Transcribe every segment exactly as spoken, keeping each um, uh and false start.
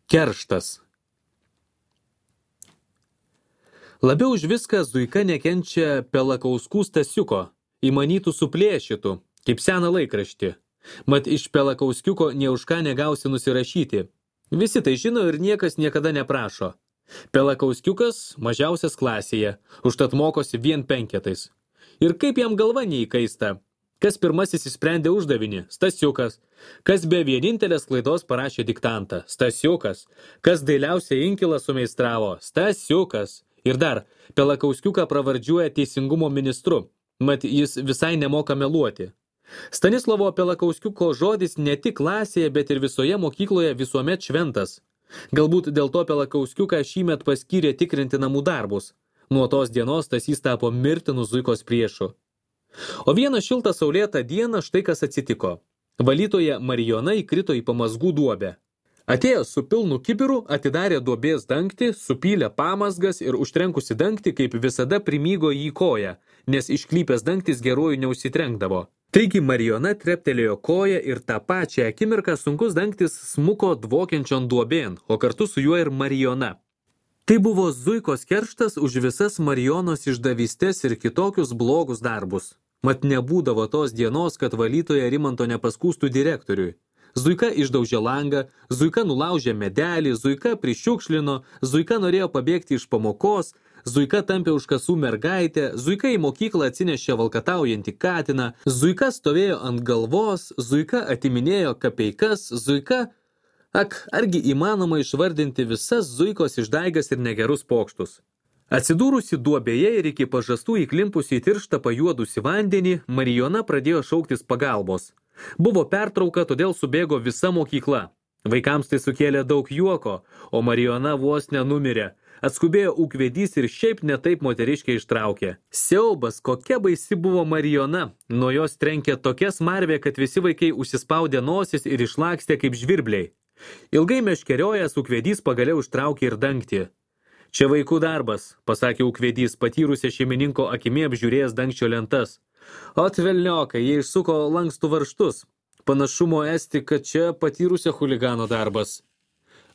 Kerštas. Labiau už viską Zuika nekenčia Pelakauskų Stasiuko, įmanytų suplėšytų, kaip seną laikraštį. Mat iš Pelakauskiuko nė už ką negausi nusirašyti. Visi tai žino ir niekas niekada neprašo. Pelakauskiukas mažiausias klasėje, užtat mokosi vien penketais. Ir kaip jam galva neįkaista. Kas pirmasis įsprendė uždavinį? Stasiukas. Kas be vienintelės klaidos parašė diktantą? Stasiukas. Kas dailiausią inkilą sumeistravo? Stasiukas. Ir dar, Pelakauskiuką pravardžiuoja teisingumo ministru, mat jis visai nemoka meluoti. Stanislovo Pelakauskiuko žodis ne tik klasėje, bet ir visoje mokykloje visuomet šventas. Galbūt dėl to Pelakauskiuką šįmet paskyrė tikrinti namų darbus. Nuo tos dienos Stasys tapo mirtinu Zuikos priešu. O vieną šiltą saulėtą dieną štai kas atsitiko. Valytoja Marijona įkrito į pamazgų duobę. Atėjo su pilnu kibiru, atidarė duobės dangtį, supylė pamazgas ir užtrenkusi dangtį, kaip visada primygo jį koją, nes išklypęs dangtis geruoju neužsitrenkdavo. Taigi Marijona treptelėjo koją ir tą pačią akimirką sunkus dangtis smuko dvokiančion duobėn, o kartu su juo ir Marijona. Tai buvo Zuikos kerštas už visas Marijonos išdavystės ir kitokius blogus darbus. Mat nebūdavo tos dienos, kad valytoja Rimanto nepaskūstų direktoriui. Zuika išdaužė langą, Zuika nulaužė medelį, Zuika prišiukšlino, Zuika norėjo pabėgti iš pamokos, Zuika tampė už kasų mergaitę, Zuika į mokyklą atsinešė valkataujantį katiną, Zuika stovėjo ant galvos, Zuika atiminėjo kapeikas, Zuika... Ak, argi įmanoma išvardinti visas Zuikos išdaigas ir negerus pokštus. Atsidūrusi duobėje ir iki pažastų įklimpusi į tirštą pajuodusi vandenį, Marijona pradėjo šauktis pagalbos. Buvo pertrauka, todėl subėgo visa mokykla. Vaikams tai sukėlė daug juoko, o Marijona vos nenumirė. Atskubėjo ūkvedys ir šiaip netaip moteriškiai ištraukė. Siaubas, kokia baisi buvo Marijona. Nuo jos trenkė tokia smarvė, kad visi vaikai užsispaudė nosis ir išlakstė kaip žvirbliai. Ilgai meškeriojęs ūkvedys pagaliau ištraukė ir dangtį. Čia vaikų darbas, pasakė ūkvedys, patyrusią šeimininko akimi apžiūrėjęs dangčio lentas. Ot velniokai, jie išsuko lankstų varžtus. Panašumo esti, kad čia patyrusio chuligano darbas.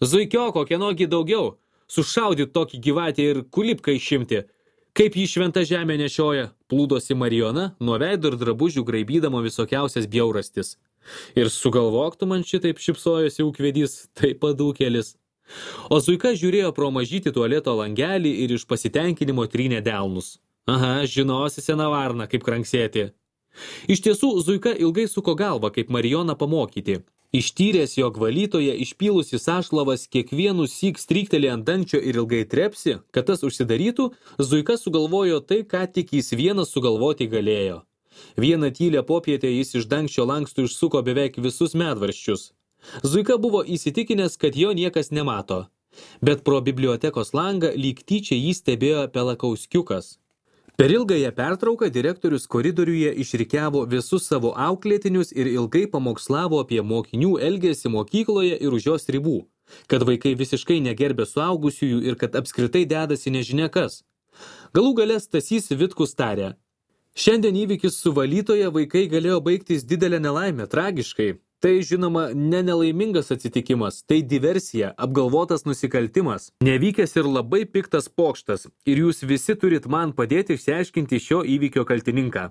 Zuikioko, kienogi daugiau? Sušaudyt tokį gyvatį ir kulipką išimti. Kaip jį šventą žemę nešioja? Plūdosi Marijona, nuo veido ir drabužių graibydama visokiausias bjaurastis. Ir sugalvok tu man šitaip šipsojosi ūkvedys, tai padūkėlis. O Zuika žiūrėjo pro mažytį tualeto langelį ir iš pasitenkinimo trynė delnus. Aha, žinosi sena varna, kaip kranksėti. Iš tiesų, Zuika ilgai suko galvą, kaip Marijoną pamokyti. Ištyręs, jog valytoje išpylusi sašlavas kiekvienu syk stryktelė ant dangčio ir ilgai trepsi, kad tas užsidarytų, Zuika sugalvojo tai, ką tik jis vienas sugalvoti galėjo. Vieną tylę popietę jis iš dangčio lankstų išsuko beveik visus medvarščius. Zuika buvo įsitikinęs, kad jo niekas nemato. Bet pro bibliotekos langą lyg tyčia jį stebėjo Pelakauskiukas. Per ilgąją pertrauką direktorius koridoriuje išrikiavo visus savo auklėtinius ir ilgai pamokslavo apie mokinių elgesį mokykloje ir už jos ribų, kad vaikai visiškai negerbė suaugusiųjų ir kad apskritai dedasi nežinia kas. Galų gale Stasys Vitkus tarė. Šiandien įvykis su valytoje vaikai galėjo baigtis didelę nelaimę, tragiškai. Tai, žinoma, ne nelaimingas atsitikimas, tai diversija, apgalvotas nusikaltimas, nevykęs ir labai piktas pokštas, ir jūs visi turit man padėti išsiaiškinti šio įvykio kaltininką.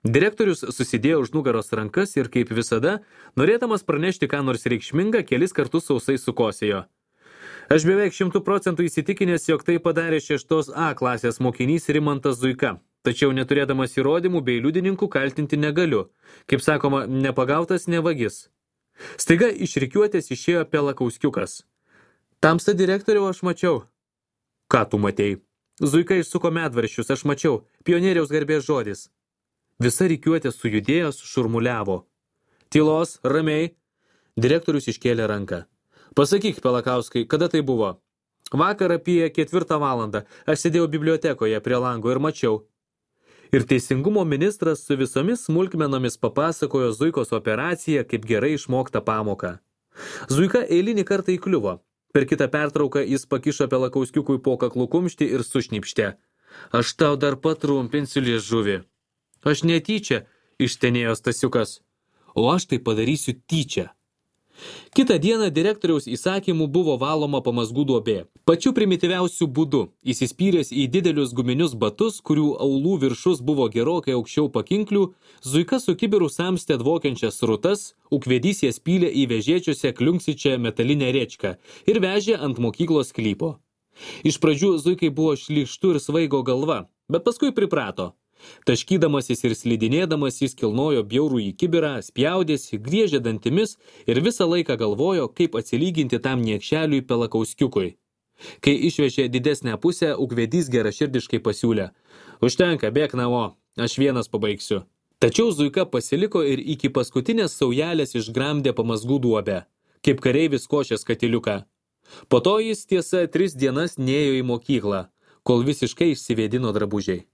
Direktorius susidėjo už nugaros rankas ir, kaip visada, norėdamas pranešti ką nors reikšmingą, kelis kartus sausai sukosėjo. Aš beveik šimtų procentų įsitikinęs, jog tai padarė šeštos A klasės mokinys Rimantas Zuika. Tačiau neturėdamas įrodymų bei liudininkų kaltinti negaliu. Kaip sakoma, nepagautas nevagis. Staiga iš rikiuotės išėjo Pelakauskiukas. Tamsta direktoriau aš mačiau. Ką tu matei? Zuika išsuko medvaršius, aš mačiau. Pionieriaus garbės žodis. Visa rikiuotė sujudėjo, šurmuliavo. Tylos, ramiai. Direktorius iškėlė ranką. Pasakyk, Pelakauskai, kada tai buvo? Vakar apie ketvirtą valandą. Aš sėdėjau bibliotekoje prie lango ir mačiau. Ir teisingumo ministras su visomis smulkmenomis papasakojo Zuikos operaciją kaip gerai išmoktą pamoką. Zuika eilinį kartą įkliuvo. Per kitą pertrauką jis pakišo Pelakauskiukui po kaklų kumštį ir sušnipštė. Aš tau dar patrumpinsiu liežuvį. Aš netyčia, ištenėjo Stasiukas. O aš tai padarysiu tyčia. Kitą dieną direktoriaus įsakymų buvo valoma pamazgų duobė. Pačiu primityviausiu būdu, įsispyręs į didelius guminius batus, kurių aulų viršus buvo gerokai aukščiau pakinklių, Zuika su kibiru samstė dvokiančias srutas, ūkvedys jas pylė į vežėčiuose kliunksičią metalinę rėčką ir vežė ant mokyklos sklypo. Iš pradžių Zuikai buvo šlykštu ir svaigo galva, bet paskui priprato. Taškydamasis ir slidinėdamas jis kilnojo bjaurų į kibirą, spjaudėsi, griežė dantimis ir visą laiką galvojo, kaip atsilyginti tam niekšeliui Pelakauskiukui. Kai išvežė didesnę pusę, ūkvedys geraširdiškai pasiūlė: "Užtenka, bėk namo, aš vienas pabaigsiu." Tačiau Zuika pasiliko ir iki paskutinės saujelės išgramdė pamazgų duobę, kaip kareivis košės katiliuką. Po to jis tiesa tris dienas nėjo į mokyklą, kol visiškai išsivėdino drabužiai.